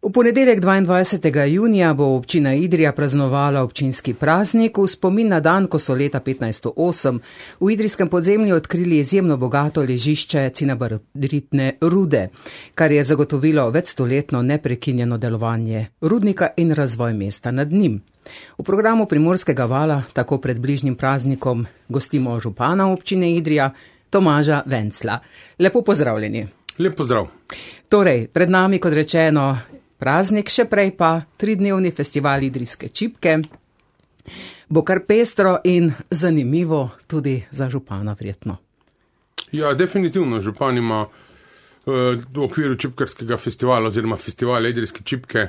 V ponedeljek 22. junija bo občina Idrija praznovala občinski praznik v spomin na dan, ko so leta 1508 v idrijskem podzemlju odkrili izjemno bogato ležišče cinnabaritne rude, kar je zagotovilo večstoletno neprekinjeno delovanje rudnika in razvoj mesta nad njim. V programu Primorskega vala tako pred bližnjim praznikom gostimo župana občine Idrija, Tomaža Vencla. Lepo pozdravljeni. Lep pozdrav. Torej, pred nami, kot rečeno, praznik, še prej pa 3-dnevni festival idrijske čipke. Bo kar pestro in zanimivo tudi za župana verjetno. Ja, definitivno. Župan ima v okviru čipkarskega festivala oziroma festivala idrijske čipke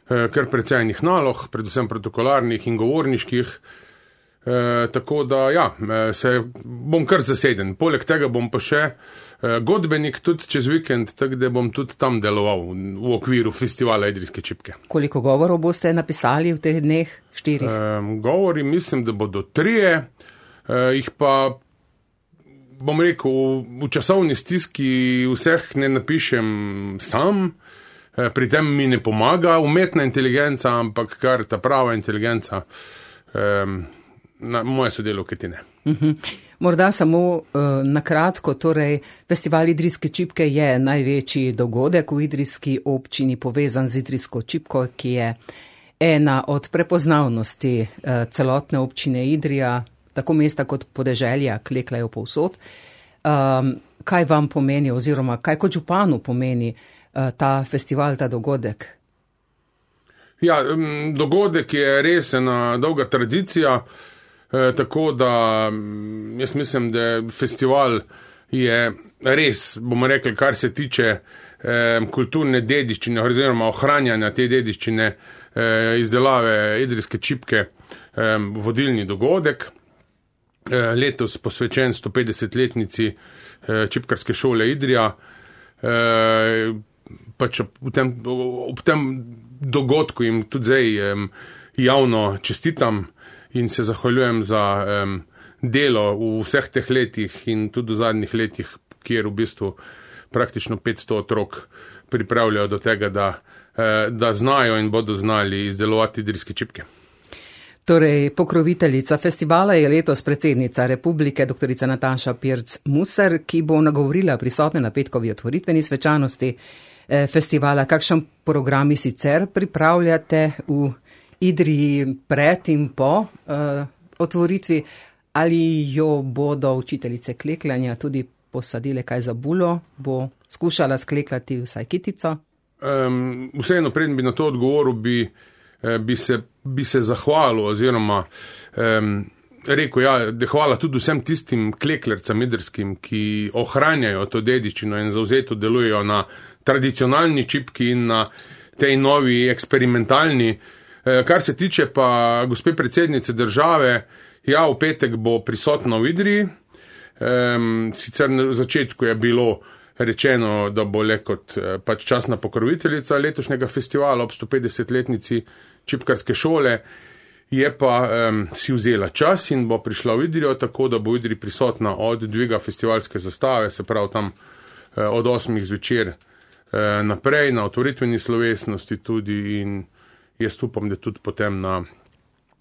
kar precejnih nalog, predvsem protokolarnih in govorniških. Tako da, ja, se bom kar zaseden. Poleg tega bom pa še godbenik tudi čez vikend, tako da bom tudi tam deloval v okviru festivala idrijske čipke. Koliko govorov boste napisali v teh dneh? 4? Govori, mislim, da bodo 3. Jih pa, bom rekel, v časovni stiski vseh ne napišem sam. Pri tem mi ne pomaga umetna inteligenca, ampak kar ta prava inteligenca, moje sodelavke ti ne. Morda samo na kratko, torej festival idrijske čipke je največji dogodek v idrijski občini, povezan z idrijsko čipko, ki je ena od prepoznavnosti celotne občine Idrija, tako mesta kot podeželja klekljajo povsod. Kaj vam pomeni oziroma kaj kot županu pomeni ta festival, ta dogodek? Ja, dogodek je res ena dolga tradicija, tako da jaz mislim, da festival je res, bomo rekli, kar se tiče kulturne dediščine oziroma ohranjanja te dediščine izdelave idrijske čipke vodilni dogodek. Letos posvečen 150-letnici čipkarske šole Idrija. Pač ob tem dogodku jim tudi zdaj javno čestitam in se zahvaljujem za delo v vseh teh letih in tudi v zadnjih letih, kjer v bistvu praktično 500 otrok pripravljajo do tega, da znajo in bodo znali izdelovati idrijske čipke. Torej, pokroviteljica festivala je letos predsednica republike, doktorica Nataša Pirc-Musar, ki bo nagovorila prisotne na petkovi otvoritveni svečanosti festivala. Kakšen programi sicer pripravljate v Idriji pred in po otvoritvi? Ali jo bodo učiteljice klekljanja tudi posadile kaj za bulo? Bo skušala skleklati vsaj kitico? Vseeno, preden bi na to odgovoril, bi se zahvalil oziroma rekel, ja, da hvala tudi vsem tistim kleklercem idrijskim, ki ohranjajo to dediščino in zavzeto delujejo na tradicionalni čipki in na tej novi eksperimentalni. Kar se tiče pa gospe predsednice države, ja, v petek bo prisotna v Idriji. Sicer na začetku je bilo rečeno, da bo le kot pač častna pokroviteljica letošnjega festivala ob 150-letnici čipkarske šole, je pa si vzela čas in bo prišla v Idrijo, tako da bo v Idriji prisotna od dviga festivalske zastave, se pravi tam od 8 zvečer naprej, na otvoritveni slovesnosti tudi, in jaz upam, da tudi potem na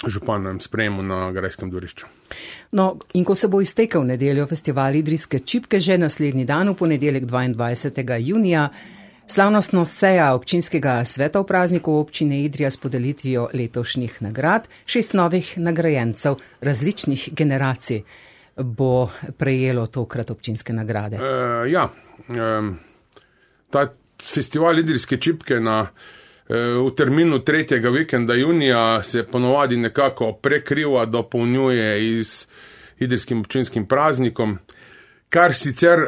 županovem sprejemu na Grajskem dvorišču. No, in ko se bo iztekel nedeljo festival idrijske čipke, že naslednji dan, v ponedeljek 22. junija, slavnostno seja občinskega sveta v prazniku občine Idrija s podelitvijo letošnjih nagrad. 6 novih nagrajencev različnih generacij bo prejelo tokrat občinske nagrade. Ta festival idrijske čipke v terminu 3. vikenda junija se ponovadi nekako prekriva, dopolnjuje z idrijskim občinskim praznikom, kar sicer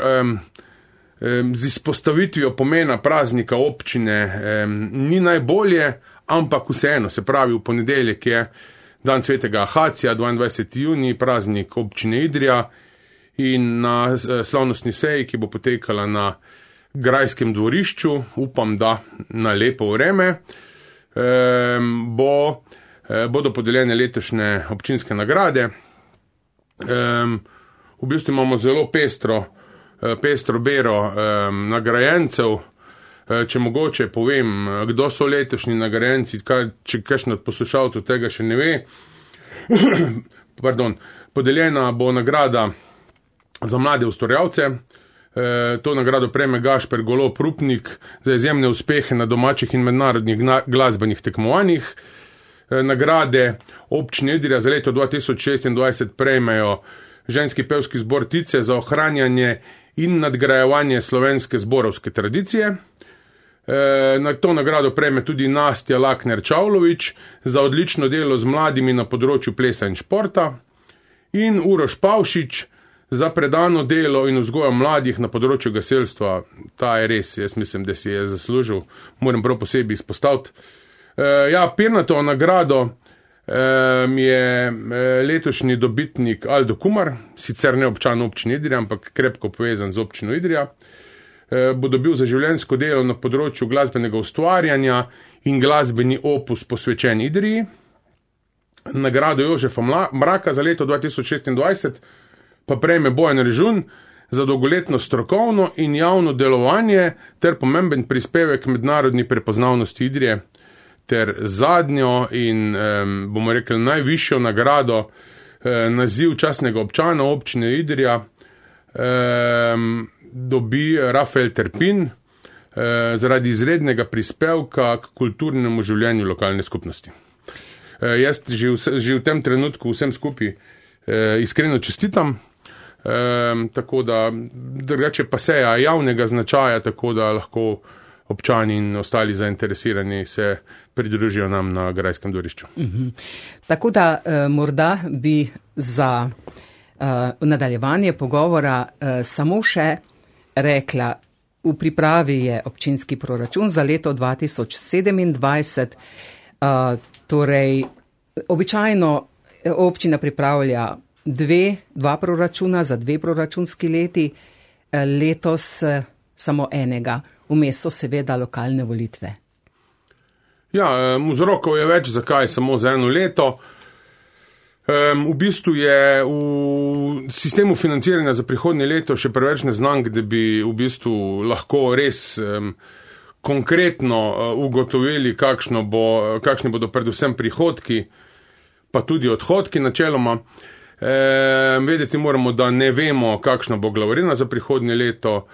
z izpostavitvijo pomena praznika občine ni najbolje, ampak vseeno, se pravi, v ponedeljek je dan svetega Ahacija, 22. junij, praznik občine Idrija, in na slavnostni seji, ki bo potekala na Grajskem dvorišču, upam, da na lepo vreme, bodo podeljene letošnje občinske nagrade. V bistvu imamo zelo pestro bero nagrajencev, Če mogoče povem, kdo so letošnji nagrajenci, če kakšen od poslušalcev tega še ne ve. Podeljena bo nagrada za mlade ustvarjalce. To nagrado prejme Gašper Golob Rupnik za izjemne uspehe na domačih in mednarodnih glasbenih tekmovanjih. Nagrade občine Idrija za leto 2026 prejmejo ženski pevski zbor Tice za ohranjanje in nadgrajevanje slovenske zborovske tradicije. Na to nagrado prejme tudi Nastja Lakner-Čavlović za odlično delo z mladimi na področju plesa in športa in Uroš Pavšič za predano delo in vzgojo mladih na področju gasilstva. Ta je res, jaz mislim, da si je zaslužil, moram prav posebej izpostaviti. Pirnatovo nagrado je letošnji dobitnik Aldo Kumar, sicer ne občan občine Idrija, ampak krepko povezan z občino Idrija. Bo dobil za življenjsko delo na področju glasbenega ustvarjanja in glasbeni opus posvečen Idriji. Nagrado Jožefa Mraka za leto 2026 pa prejme Bojan Režun za dolgoletno strokovno in javno delovanje ter pomemben prispevek mednarodni prepoznavnosti Idrije ter zadnjo in, bomo rekli, najvišjo nagrado, naziv častnega občana občine Idrija, dobi Rafael Terpin zaradi izrednega prispevka k kulturnemu življenju lokalne skupnosti. Jaz že v tem trenutku vsem skupaj iskreno čestitam, tako da drugače pa seja javnega značaja, tako da lahko občani in ostali zainteresirani se pridružijo nam na grajskem dvorišču. Tako da morda bi za nadaljevanje pogovora samo še rekla, v pripravi je občinski proračun za leto 2027, torej običajno občina pripravlja dva proračuna za 2 proračunski leti, letos samo enega, vmes so seveda lokalne volitve. Vzrokov je več, zakaj samo za eno leto. V bistvu je v sistemu financiranja za prihodnje leto še preveč neznank, da bi v bistvu lahko res konkretno ugotovili, kakšni bodo predvsem prihodki, pa tudi odhodki načeloma. Vedeti moramo, da ne vemo, kakšna bo glavarina za prihodnje leto.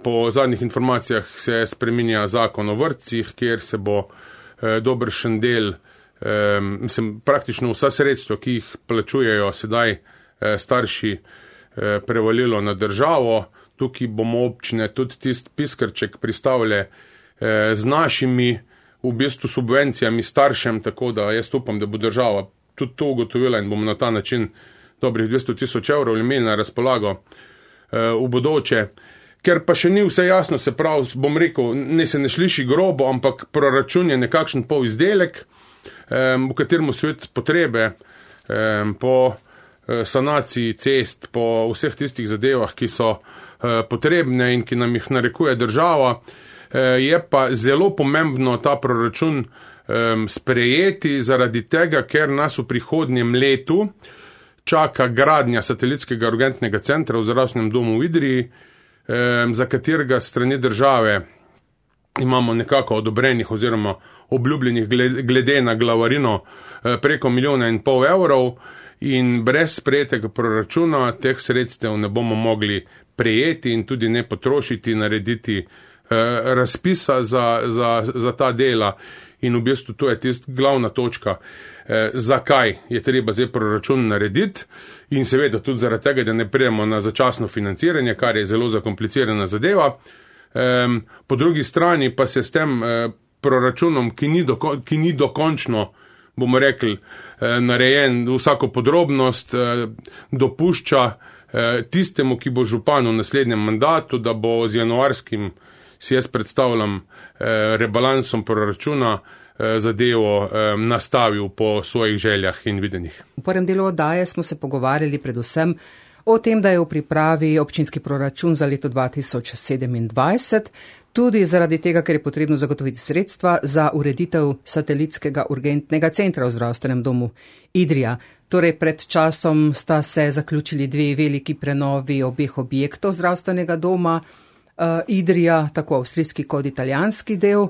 Po zadnjih informacijah se spreminja zakon o vrtcih, kjer se bo dobršen del, praktično vsa sredstva, ki jih plačujejo sedaj starši, prevalilo na državo. Tukaj bomo občine tudi tisti piskrček pristavile z našimi v bistvu subvencijami staršem, tako da jaz upam, da bo država tudi to ugotovila in bomo na ta način dobrih 200,000 evrov imeli na razpolago v bodoče. Ker pa še ni vse jasno, se pravi, bom rekel, se ne sliši grobo, ampak proračun je nekakšen polizdelek, v katerem svet potrebe po sanaciji cest, po vseh tistih zadevah, ki so potrebne in ki nam jih narekuje država, je pa zelo pomembno ta proračun sprejeti zaradi tega, ker nas v prihodnjem letu čaka gradnja satelitskega urgentnega centra v zdravstvenem domu v Idriji, za katerega strani države imamo nekako odobrenih oziroma obljubljenih glede na glavarino preko 1,5 milijona evrov in brez sprejetega proračuna teh sredstev ne bomo mogli prejeti in tudi ne potrošiti, narediti razpisa za ta dela. In v bistvu to je tista glavna točka, zakaj je treba zdaj proračun narediti in seveda tudi zaradi tega, da ne prijemo na začasno financiranje, kar je zelo zakomplicirana zadeva. Po drugi strani pa se s tem proračunom, ki ni dokončno, bomo rekli, narejen vsako podrobnost, dopušča tistemu, ki bo župan v naslednjem mandatu, da bo z januarskim, si jaz predstavljam, rebalansom proračuna zadevo nastavil po svojih željah in videnjih. V prvem delu oddaje smo se pogovarjali predvsem o tem, da je v pripravi občinski proračun za leto 2027, tudi zaradi tega, ker je potrebno zagotoviti sredstva za ureditev satelitskega urgentnega centra v zdravstvenem domu Idrija. Torej pred časom sta se zaključili 2 veliki prenovi obeh objektov zdravstvenega doma, Idrija, tako avstrijski kot italijanski del.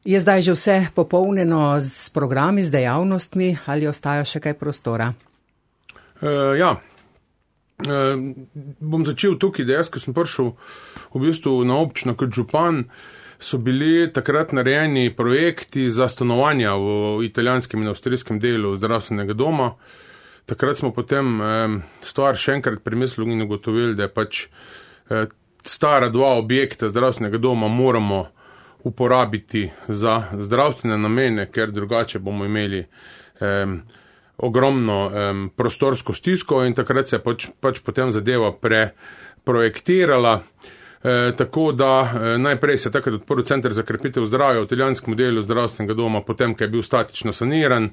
Je zdaj že vse popolnjeno z programi, z dejavnostmi ali ostaja še kaj prostora? Bom začel tukaj, da jaz, ko sem prišel v bistvu na občino kot župan, so bili takrat narejeni projekti za stanovanja v italijanskem in avstrijskem delu zdravstvenega doma. Takrat smo potem stvar še enkrat premislili in ugotovili, da je pač stara dva objekta zdravstvenega doma moramo uporabiti za zdravstvene namene, ker drugače bomo imeli ogromno prostorsko stisko in takrat se je pač potem zadeva preprojektirala. Tako da najprej se takrat odprl center za krepitev zdravja v italijanskem delu zdravstvenega doma, potem, ko je bil statično saniran,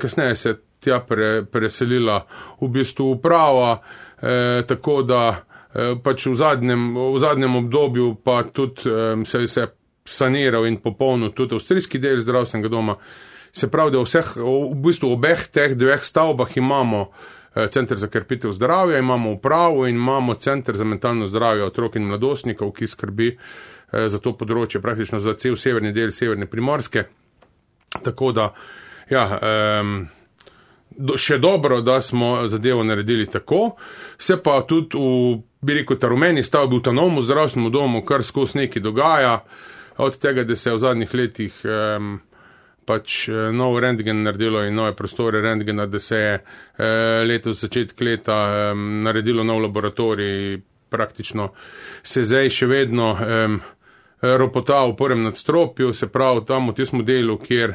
kasneje se tja preselila v bistvu uprava, tako da pač v zadnjem obdobju pa tudi se je saniral in popolnil tudi avstrijski del zdravstvenega doma. Se pravi, da v bistvu obeh teh dveh stavbah imamo center za krepitev zdravja, imamo upravo in imamo center za mentalno zdravje otrok in mladostnikov, ki skrbi za to področje, praktično za cel severni del severne Primorske. Tako da, še dobro, da smo zadevo naredili tako. Se pa tudi ta rumeni stavbi v ta novem zdravstvenem domu kar skozi nekaj dogaja, od tega, da se je v zadnjih letih pač nov rentgen naredilo in nove prostore rentgena, da se je letos začetek leta naredilo nov laboratorij, praktično se zdaj še vedno ropota v prvem nadstropju, se pravi tam v tistem delu, kjer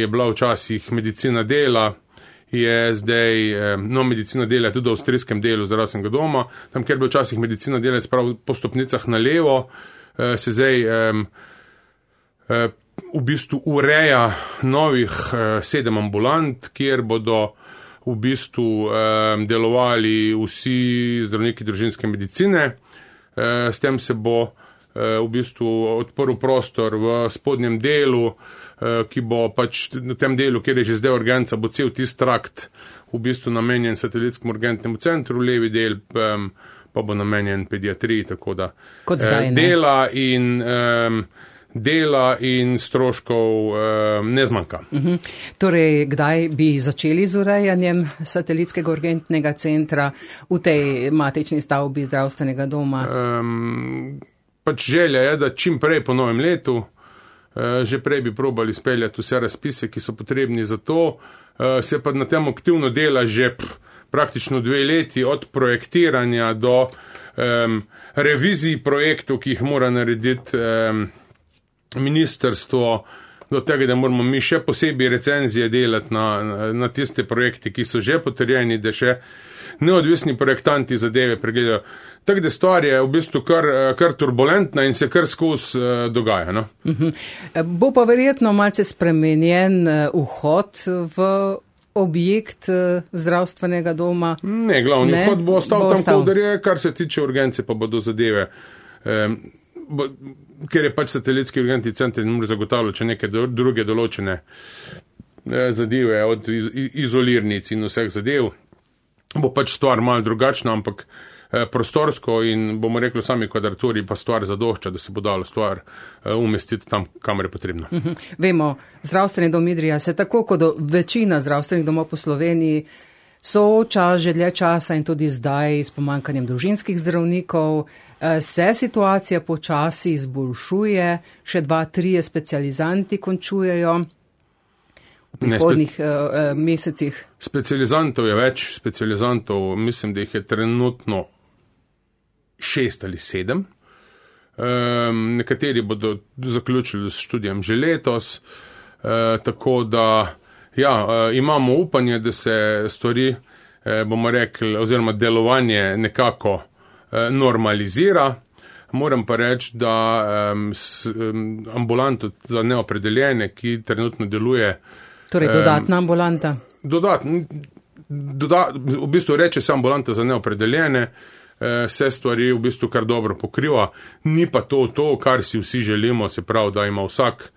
je bila včasih medicina dela, je zdaj medicina dela tudi v avstrijskem delu zdravstvenega doma, tam kjer je bil včasih medicina dela, se pravi po stopnicah na levo, se zdaj v bistvu ureja novih 7 ambulant, kjer bodo v bistvu delovali vsi zdravniki družinske medicine. S tem se bo v bistvu odprl prostor v spodnjem delu, ki bo pač na tem delu, kjer je že zdaj urgenca, bo cel tisti trakt v bistvu namenjen satelitskemu urgentnemu centru, levi del pa bo namenjen pediatriji, tako da dela in stroškov ne zmanjka. Torej, kdaj bi začeli z urejanjem satelitskega urgentnega centra v tej matični stavbi zdravstvenega doma? Pač želja je, da čim prej po novem letu, že prej bi probali speljati vse razpise, ki so potrebni za to, se pa na tem aktivno dela že praktično 2 leti od projektiranja do revizij projektov, ki jih mora narediti ministrstvo, do tega, da moramo mi še posebej recenzije delati na tiste projekte, ki so že potrjeni, da še neodvisni projektanti zadeve pregledajo. Tako da stvar je v bistvu kar turbulentna in se kar skozi dogaja. No? Bo pa verjetno malce spremenjen vhod v objekt zdravstvenega doma? Ne, glavni vhod bo ostal tam, koder je, kar se tiče urgence, pa bodo zadeve. Ker je pač satelitski urgentni center in mora zagotavljati neke druge določene zadeve od izolirnic in vseh zadev, bo pač stvar malo drugačna, ampak prostorsko in bomo rekli sami kvadraturi pa stvar zadošča, da se bo dalo stvar umestiti tam, kamor je potrebno. Vemo, zdravstveni dom Idrija se tako kot večina zdravstvenih domov po Sloveniji sooča že dlje časa in tudi zdaj s pomanjkanjem družinskih zdravnikov. Se situacija počasi izboljšuje, še 2-3 specializanti končujejo v prihodnjih mesecih. Specializantov je več, mislim, da jih je trenutno 6 ali 7. Nekateri bodo zaključili s študijem že letos, tako da imamo upanje, da se stvari, bomo rekli, oziroma delovanje nekako normalizira. Moram pa reči, da ambulanto za neopredeljene, ki trenutno deluje. Torej dodatna ambulanta? V bistvu reče se ambulanta za neopredeljene, vse stvari v bistvu kar dobro pokriva. Ni pa to, kar si vsi želimo, se pravi, da ima vsak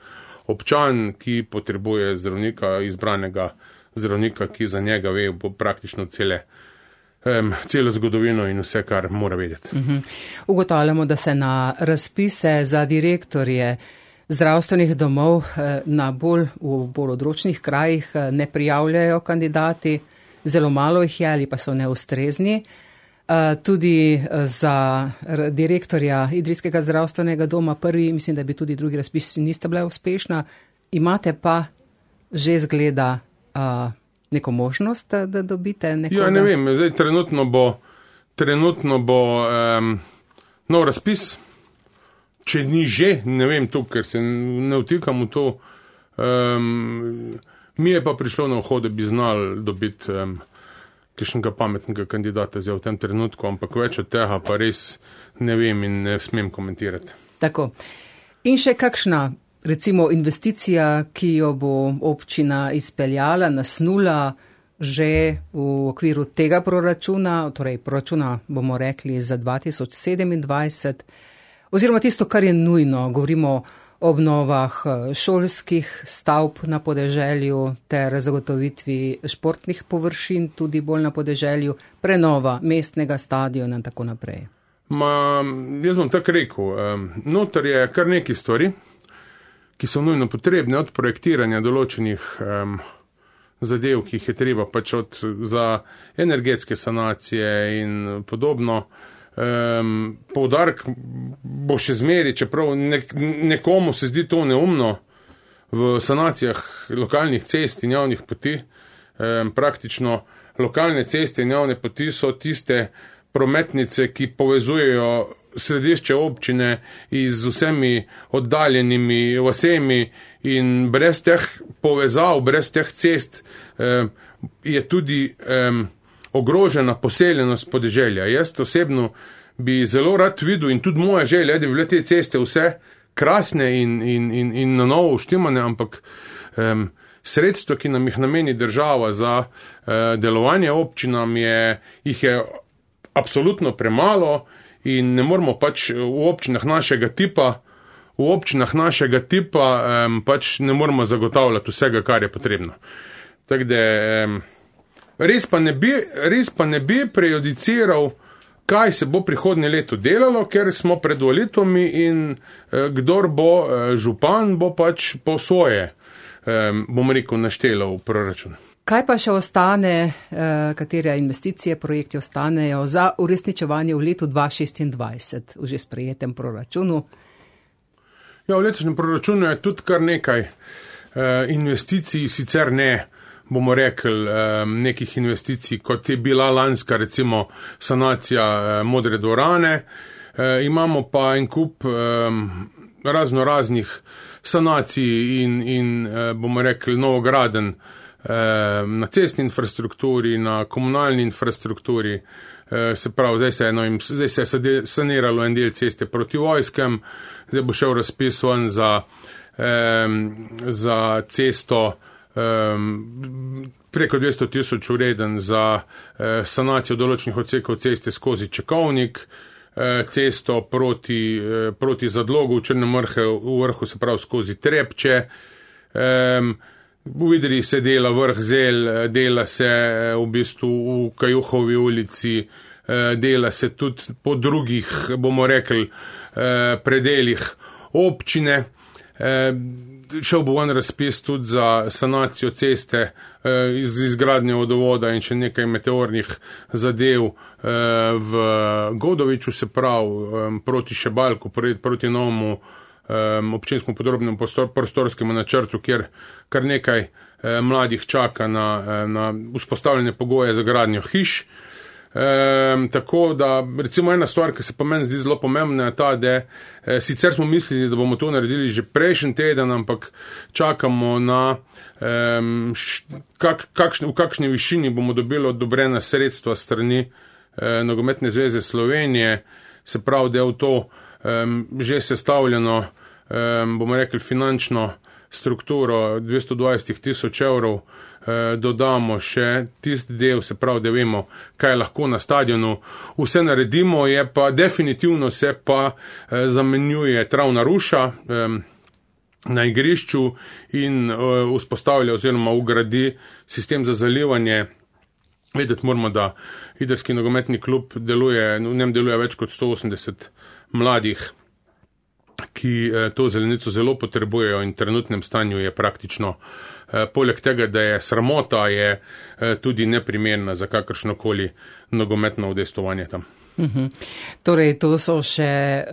občan, ki potrebuje zdravnika, izbranega zdravnika, ki za njega ve praktično cele celo zgodovino in vse, kar mora vedeti. Ugotavljamo, da se na razpise za direktorje zdravstvenih domov v bolj odročnih krajih ne prijavljajo kandidati, zelo malo jih je ali pa so neustrezni. Tudi za direktorja Idrijskega zdravstvenega doma prvi, mislim, da bi tudi drugi razpisi nista bila uspešna. Imate pa že zgleda neko možnost, da dobite nekoga? Ja, ne vem, zdaj trenutno bo nov razpis, če ni že, ne vem to, ker se ne vtikam v to. Mi je pa prišlo na uho, da bi znali dobiti kakšnega pametnega kandidata zdaj v tem trenutku, ampak več od tega pa res ne vem in ne smem komentirati. Tako. In še kakšna, recimo, investicija, ki jo bo občina izpeljala, nasnula že v okviru tega proračuna, torej proračuna bomo rekli za 2027, oziroma tisto, kar je nujno, govorimo o obnovah šolskih stavb na podeželju ter zagotovitvi športnih površin tudi bolj na podeželju, prenova mestnega stadiona in tako naprej. Jaz bom tako rekel, noter je kar nekaj stvari, ki so nujno potrebne, od projektiranja določenih zadev, ki jih je treba pač za energetske sanacije in podobno. Poudarek bo še zmeri, čeprav nekomu se zdi to neumno v sanacijah lokalnih cest in javnih poti. Praktično lokalne ceste in javne poti so tiste prometnice, ki povezujejo središče občine z vsemi oddaljenimi vasemi in brez teh povezav, brez teh cest je tudi ogrožena poseljenost podeželja. Jaz osebno bi zelo rad videl in tudi moja želja, da bi bile te ceste vse krasne in na novo uštimane, ampak sredstva, ki nam jih nameni država za delovanje občinam, jih je absolutno premalo in ne moramo pač v občinah našega tipa pač ne moramo zagotavljati vsega, kar je potrebno. Tako da res pa ne bi prejudiciral, kaj se bo prihodnje leto delalo, ker smo pred volitvami in kdor bo župan, bo pač po svoje, bom rekel, naštelal v proračun. Kaj pa še ostane, katere investicije, projekti ostanejo za uresničevanje v letu 2026 v že sprejetem proračunu? Ja, v letošnjem proračunu je tudi kar nekaj investicij, sicer ne, bomo rekli, nekih investicij, kot je bila lanska, recimo, sanacija Modre dvorane. Imamo pa en kup raznih sanacij in bomo rekli, novograden na cestni infrastrukturi, na komunalni infrastrukturi. Se pravi, zdaj se je saniralo en del ceste proti vojskem, zdaj bo šel razpis ven za cesto preko 200,000 vreden za sanacijo določenih odsekov ceste skozi Čekovnik, cesto proti Zadlogu v Črnem vrhu, se pravi skozi Trepče. V Idriji se dela vrh Zel, dela se v bistvu v Kajuhovi ulici, dela se tudi po drugih, bomo rekli, predeljih občine. Šel bo en razpis tudi za sanacijo ceste iz izgradnje vodovoda in še nekaj meteornih zadev v Godoviču, se pravi proti Šebalku, proti novemu občinskemu podrobnemu prostorskemu načrtu, kjer kar nekaj mladih čaka na vzpostavljene pogoje za gradnjo hiš. Tako da, recimo ena stvar, ki se pa meni zdi zelo pomembna, je ta, da sicer smo mislili, da bomo to naredili že prejšnji teden, ampak čakamo na v kakšni višini bomo dobili odobrena sredstva strani Nogometne zveze Slovenije, se pravi, da je v to že sestavljeno, bomo rekli, finančno strukturo 220,000 evrov, dodamo še tisti del, se pravi, da vemo, kaj lahko na stadionu vse naredimo, je pa definitivno se pa zamenjuje travna ruša na igrišču in vzpostavlja oziroma ugradi sistem za zalivanje Vedeti moramo, da idrski nogometni klub deluje, v njem deluje več kot 180 mladih, ki to zelenico zelo potrebujejo in v trenutnem stanju je praktično, poleg tega, da je sramota, je tudi neprimerna za kakršnokoli nogometno udejstvovanje tam. Torej, to so še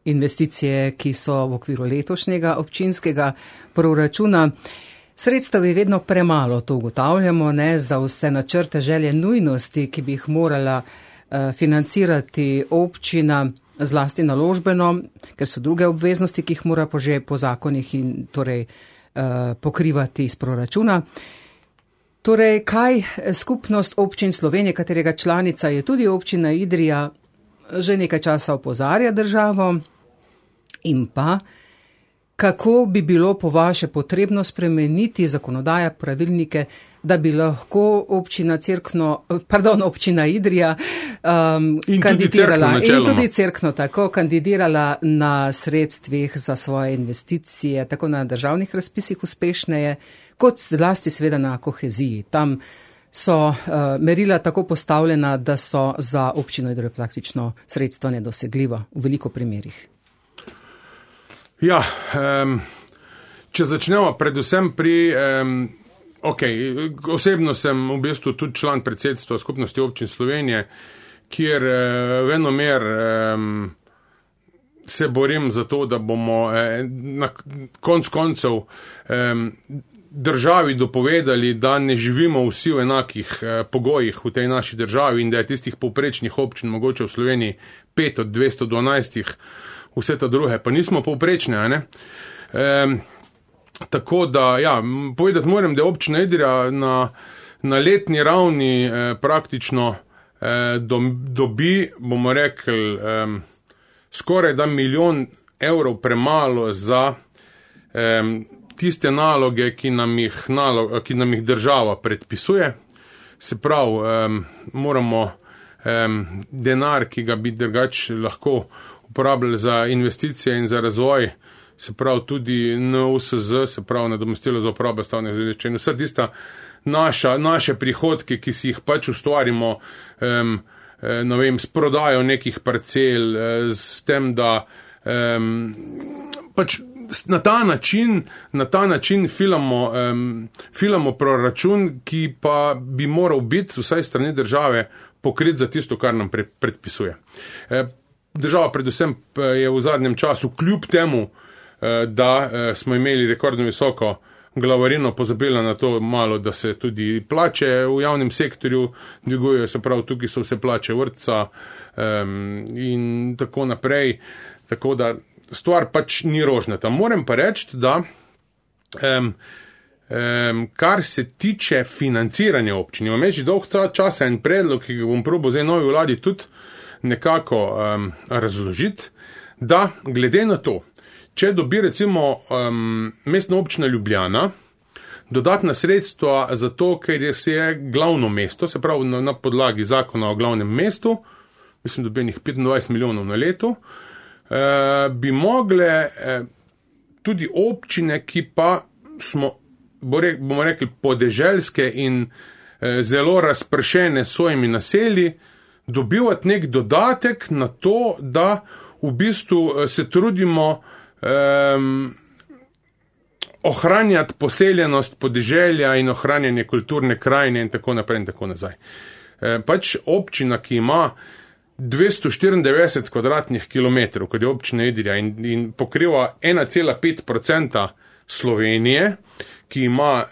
investicije, ki so v okviru letošnjega občinskega proračuna. Sredstev je vedno premalo, to ugotavljamo, za vse načrte, želje, nujnosti, ki bi jih morala financirati občina, zlasti naložbeno, ker so druge obveznosti, ki jih mora že po zakonih in torej pokrivati iz proračuna. Torej, kaj skupnost občin Slovenije, katerega članica je tudi občina Idrija, že nekaj časa opozarja državo, in pa kako bi bilo po vaše potrebno spremeniti zakonodaje, pravilnike, da bi lahko občina Idrija kandidirala in tudi Cerkno tako kandidirala na sredstvih za svoje investicije, tako na državnih razpisih uspešneje, kot zlasti seveda na koheziji. Tam so merila tako postavljena, da so za občino Idrijo praktično sredstva nedosegljiva v veliko primerih. Ja, če začnemo predvsem pri, osebno sem v bistvu tudi član predsedstva skupnosti občin Slovenije, kjer venomer se borim za to, da bomo na konc koncev državi dopovedali, da ne živimo vsi v enakih pogojih v tej naši državi in da je tistih povprečnih občin mogoče v Sloveniji 5 od 212, vse ta druge, pa nismo povprečne, a ne? Tako da, ja, povedati moram, da občina Idrija na letni ravni praktično dobi, bomo rekli, skoraj da 1 milijon evrov premalo za tiste naloge, ki nam jih država predpisuje. Se pravi, moramo denar, ki ga bi drugače lahko uporabljali za investicije in za razvoj, se pravi tudi NUSZ, se pravi nadomestilo za uporabo stavbnih zemljišč in vsa tista naše prihodke, ki si jih pač ustvarimo, s prodajo nekih parcel, s tem, da pač na ta način filamo proračun, ki pa bi moral biti vsaj strani države pokrit za tisto, kar nam predpisuje. Država predvsem je v zadnjem času kljub temu, da smo imeli rekordno visoko glavarino, pozabila na to malo, da se tudi plače v javnem sektorju dvigujejo, se pravi, tukaj so vse plače vrtca in tako naprej, tako da stvar pač ni rožnata. Moram pa reči, da kar se tiče financiranja občin, imam že dolg časa en predlog, ki ga bom probal zdaj novi vladi tudi nekako razložiti, da glede na to, če dobi recimo mestna občina Ljubljana dodatna sredstva za to, ker je glavno mesto, se pravi na podlagi zakona o glavnem mestu, mislim, dobenih 25 milijonov na leto, bi mogle tudi občine, ki pa smo, bomo rekli, podeželske in zelo razpršene s svojimi naselji, dobivati nek dodatek na to, da v bistvu se trudimo ohranjati poseljenost podeželja in ohranjanje kulturne krajine in tako naprej in tako nazaj. Pač občina, ki ima 294 kvadratnih kilometrov, kot je občina Idrija in pokriva 1,5% Slovenije, ki ima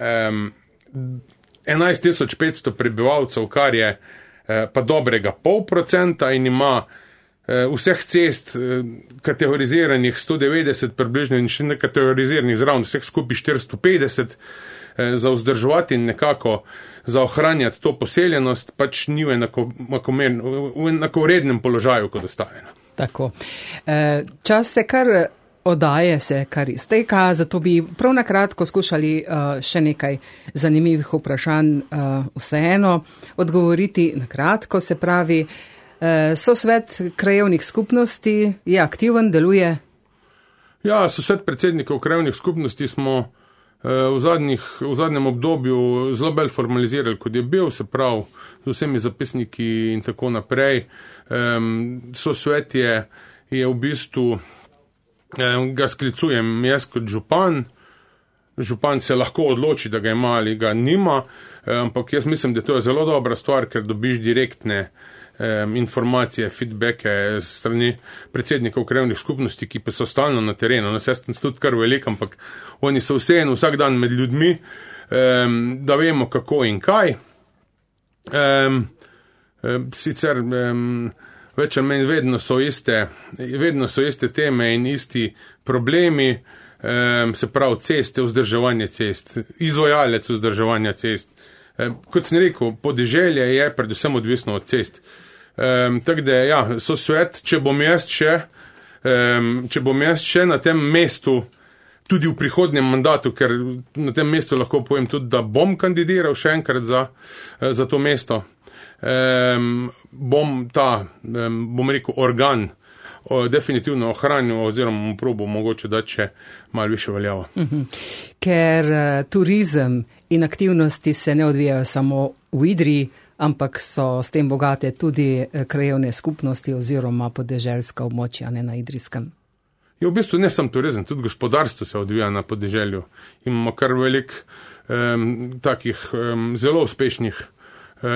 11.500 prebivalcev, kar je pa dobrega 0,5% in ima vseh cest kategoriziranih 190 približno in še nekategoriziranih zraven vseh skupaj 450, za vzdrževati in nekako za ohranjati to poseljenost, pač ni v enakovrednem položaju kot ostale. Tako. Čas se kar izteka, zato bi prav na kratko skušali še nekaj zanimivih vprašanj vseeno odgovoriti na kratko, se pravi, Sosvet krajevnih skupnosti je aktiven, deluje? Ja, Sosvet predsednikov krajevnih skupnosti smo v zadnjem obdobju zelo bolj formalizirali, kot je bil, se pravi, z vsemi zapisniki in tako naprej. Sosvet je v bistvu, ga sklicujem jaz kot župan. Župan se lahko odloči, da ga ima ali ga nima, ampak jaz mislim, da to je zelo dobra stvar, ker dobiš direktne informacije, feedbacke strani predsednikov krajevnih skupnosti, ki pa so stalno na terenu. Jaz sem tudi kar velik, ampak oni so vseeno vsak dan med ljudmi, da vemo kako in kaj. Sicer več ali manj vedno so iste teme in isti problemi, se pravi ceste, vzdrževanje cest, izvajalec vzdrževanja cest. Kot sem rekel, podeželje je predvsem odvisno od cest. Tako da, ja, sosvet, če bom jaz še na tem mestu, tudi v prihodnjem mandatu, ker na tem mestu lahko povem tudi, da bom kandidiral še enkrat za to mesto, bom rekel, organ definitivno ohranil oziroma mu probo mogoče dati še malo više veljavo. Ker turizem in aktivnosti se ne odvijajo samo v Idriji, ampak so s tem bogate tudi krajevne skupnosti oziroma podeželska območja, ne na Idrijskem. Je v bistvu ne samo turizem, tudi gospodarstvo se odvija na podeželju. Imamo kar velik takih zelo uspešnih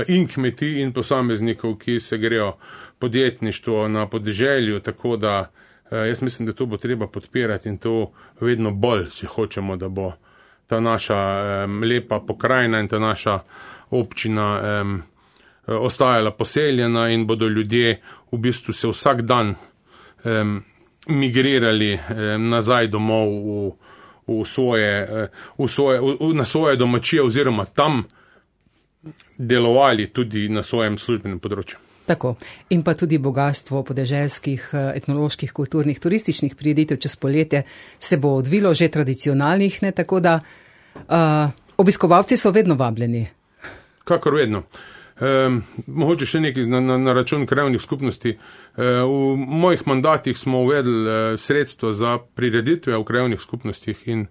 in kmetij in posameznikov, ki se grejo podjetništvo na podeželju, tako da jaz mislim, da to bo treba podpirati in to vedno bolj, če hočemo, da bo ta naša lepa pokrajina in ta naša občina ostajala poseljena in bodo ljudje v bistvu se vsak dan migrirali nazaj domov na svoje domačije oziroma tam delovali tudi na svojem službenem področju. Tako. In pa tudi bogatstvo podeželskih, etnoloških, kulturnih, turističnih prireditev čez poletje se bo odvilo že tradicionalnih, ne, tako da obiskovalci so vedno vabljeni. Kakor vedno. Mogoče še nekaj na račun krajevnih skupnosti. V mojih mandatih smo uvedli sredstvo za prireditve v krajevnih skupnostih in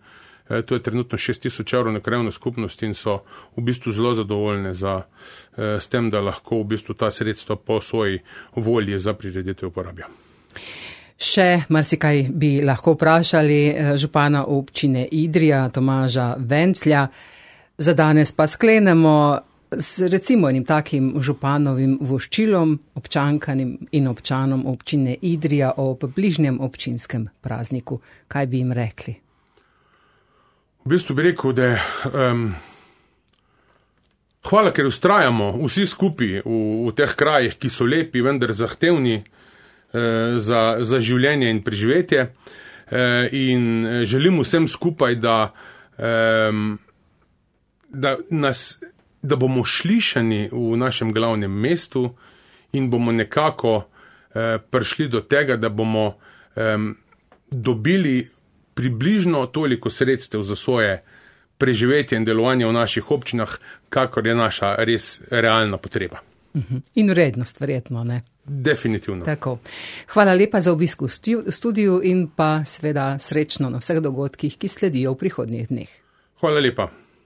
to je trenutno 6,000 evrov na krajevno skupnost in so v bistvu zelo zadovoljne s tem, da lahko v bistvu ta sredstva po svoji volji za prireditve uporabijo. Še marsikaj bi lahko vprašali župana občine Idrija, Tomaža Venclja. Za danes pa sklenemo z recimo enim takim županovim voščilom občankanim in občanom občine Idrija ob bližnjem občinskem prazniku. Kaj bi jim rekli? V bistvu bi rekel, da hvala, ker ustrajamo vsi skupaj v teh krajih, ki so lepi, vendar zahtevni za življenje in preživetje. In želim vsem skupaj, da bomo slišani v našem glavnem mestu in bomo nekako prišli do tega, da bomo dobili približno toliko sredstev za svoje preživetje in delovanje v naših občinah, kakor je naša res realna potreba. In vrednost, verjetno, ne? Definitivno. Tako. Hvala lepa za obisk v studiu in pa seveda srečno na vseh dogodkih, ki sledijo v prihodnjih dneh. Hvala lepa.